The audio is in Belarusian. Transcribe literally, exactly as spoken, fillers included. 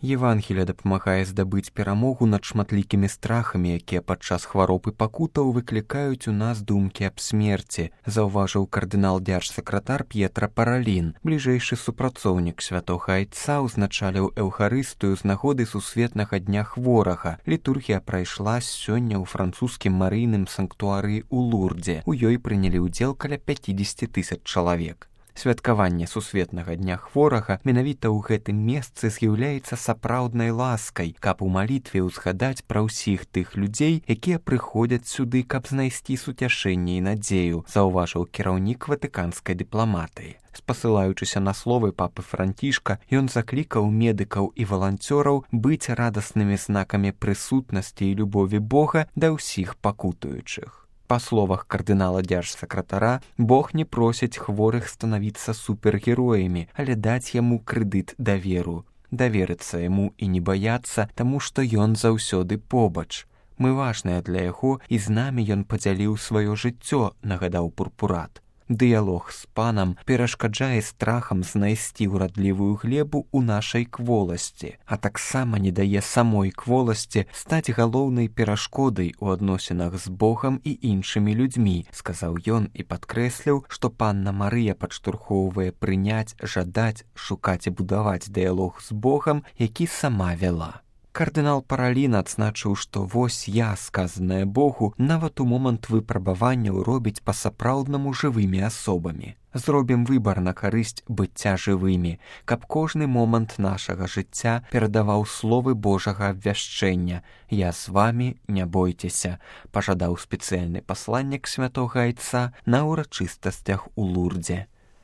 Евангелие дапамагае здабыць перамогу над шматлікімі страхамі, якія падчас хвароб і пакутаў выклікаюць у нас думкі аб смерці, заўважыў кардынал дзяржсакратар П'етра Паралін. Бліжэйшы супрацоўнік святога айца ўзначаліў эўхарыстыю з нагоды сусветнага дня хворага. Літургія прайшла сёння ў французскім марыйным санктуарыі ў Лурдзе. У ёй прынялі ўдзел каля пяцідзесяці тысяч чалавек. Святкаванне сусветнага дня хворага менавіта ў гэтым месцы з'яўляецца сапраўднай ласкай, каб у малітве ўзгадаць пра ўсіх тых людзей, якія прыходзяць сюды, каб знайсці суцяшэнне і надзею, заўважыў кіраўнік ватыканскай дыпламатыі. Спасылаючыся на словы папы Францішка, ён заклікаў медыкаў і валанцёраў быць радаснымі знакамі прысутнасці і любові Бога да ўсіх пакутуючых. Па словах кардынала дзяржсакратара, Бог не просіць хворых станавіцца супергероямі, але даць яму крэдыт даверу. Даверыцца яму і не баяцца, таму што ён заўсёды побач. Мы важныя для яго, і з намі ён падзяліў сваё жыццё, нагадаў пурпурат. Дыялог з панам перашкаджае страхам знайсці ўрадлівую глебу ў нашай кволасці, а таксама не дае самой кволасці стаць галоўнай перашкодай у адносінах з Богам і іншымі людзьмі, сказаў ён і падкрэсліў, што панна Марыя падштурхоўвае прыняць, жадаць, шукаць і будаваць дыялог з Богам, які сама вяла. Кардынал Паралін адзначыў, што вось я, сказанае Богу, нават у момант выпрабаванняў робіць па-сапраўднаму жывымі асобамі. Зробім выбар на карысць быцця жывымі, каб кожны момант нашага жыцця перадаваў словы Божага абвяшчэння. Я з вамі, не бойцеся, пажадаў спецыяльны пасланнік святога айца на ўрачыстасцях у Лурдзе.